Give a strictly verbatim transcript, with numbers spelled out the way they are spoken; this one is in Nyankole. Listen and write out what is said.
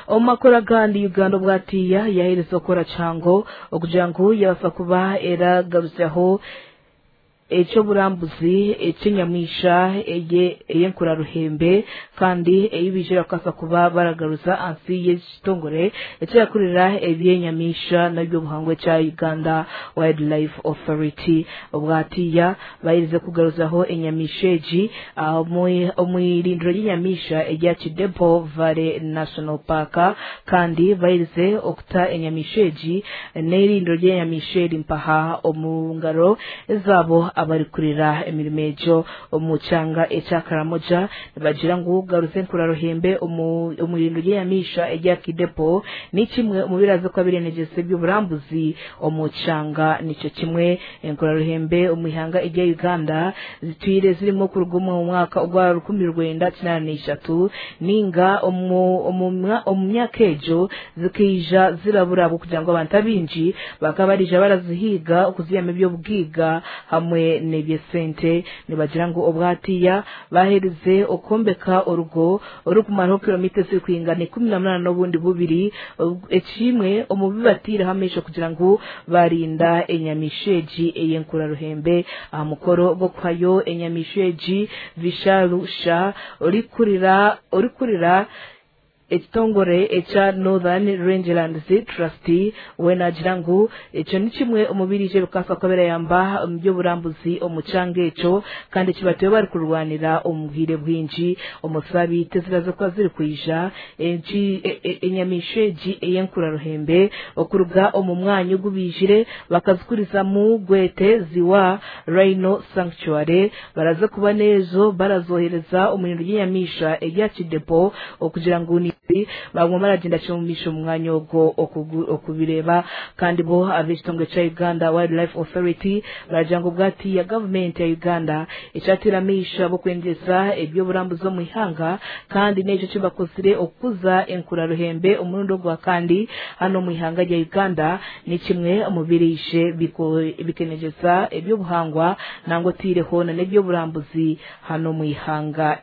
Omu makuru agandi, Uganda obwatiya yahereza okukora kihango okugira ngu yabasa kuba eragarusyaho ekyoburambuzi ekyenyamisha ey'enkuraruhembe, kandi eyibijira kukasa kuba baragaruza ansi y'ekitongore ekirakurira ebyenyamisha n'ebyobuhangwa ekya Uganda Wildlife Authority. Obwatiya bayirize kugaruzaho enyamisha egi omu irindiro ry'enyamisha erya Kidepo Valley National Park, kandi bayirize okuta enyamisha egi n'irindiro ry'enyamisha eri mpaha omu ngaro ezabo abarikurira emirimo egyo omu kyanga ekya Karamoja. Nibagira ngu garuze enkuraruhembe omu irindiro ry'enyamisha erya Kidepo ni kimwe omu biraze kuba birenegyesa eby'oburambuzi omu kyanga. Nikyo kimwe, enkuraruhembe omu ihanga erya Uganda zitwire zirimu kuruga omu mwaka ogwa rukumi rwenda kinaana n'ishatu, ninga omu myaka egyo zikaija zirabura kugira ngu abantu abingi bakaba barija barazihiiga okuzihamu eby'obugiiga hamwe n'ebyesente. Nibagira ngu obwatiya baherize okwombeka orugo orukumaraho kilomita ezirikwingana ikumi na munaana n'obundi bubiri, ekimwe omu bibatiireho amaisho kugira ngu barinda enyamisha egi ey'enkuraruhembe. Aha mukoro gw'okuhayo enyamisha egi, Vishalu Shah, orikurira orikurira ekitongore ekya Northern Rangelands Trust, we nagira ngu ekyo ni kimwe omu birije bikasa kuba birayamba omu by'oburambuzi omu kyanga ekyo, kandi kibatuye bari kurwanira omu bwire bwingi omu sabiiti eziraza kuba ziri kwija. Enyamisha egi ey'enkuraruhembe okuruga omu mwanya ogubijire bakazikurizamu gwete Ziwa Rhino Sanctuary, baraza kuba n'ezo barazohereza omu irindiro ry'enyamisha erya Kidepo okugira ngu baguma baragenda kimumisha omu mwanya ogwo okubireba. Kandi bo ab'ekitongore kya Uganda Wildlife Authority baragira ngu bwati ya gavumenti ya Uganda ekyatira amaisho abokwengeza eby'oburambuzi omu ihanga, kandi n'ekyo kibakozire okukuza enkuraruhembe omurundi ogwa kandi hano omu ihanga rya Uganda ni kimwe omu biriishe bikenegyesa eby'obuhangwa nangwa otiireho n'eby'oburambuzi hano omu ihanga.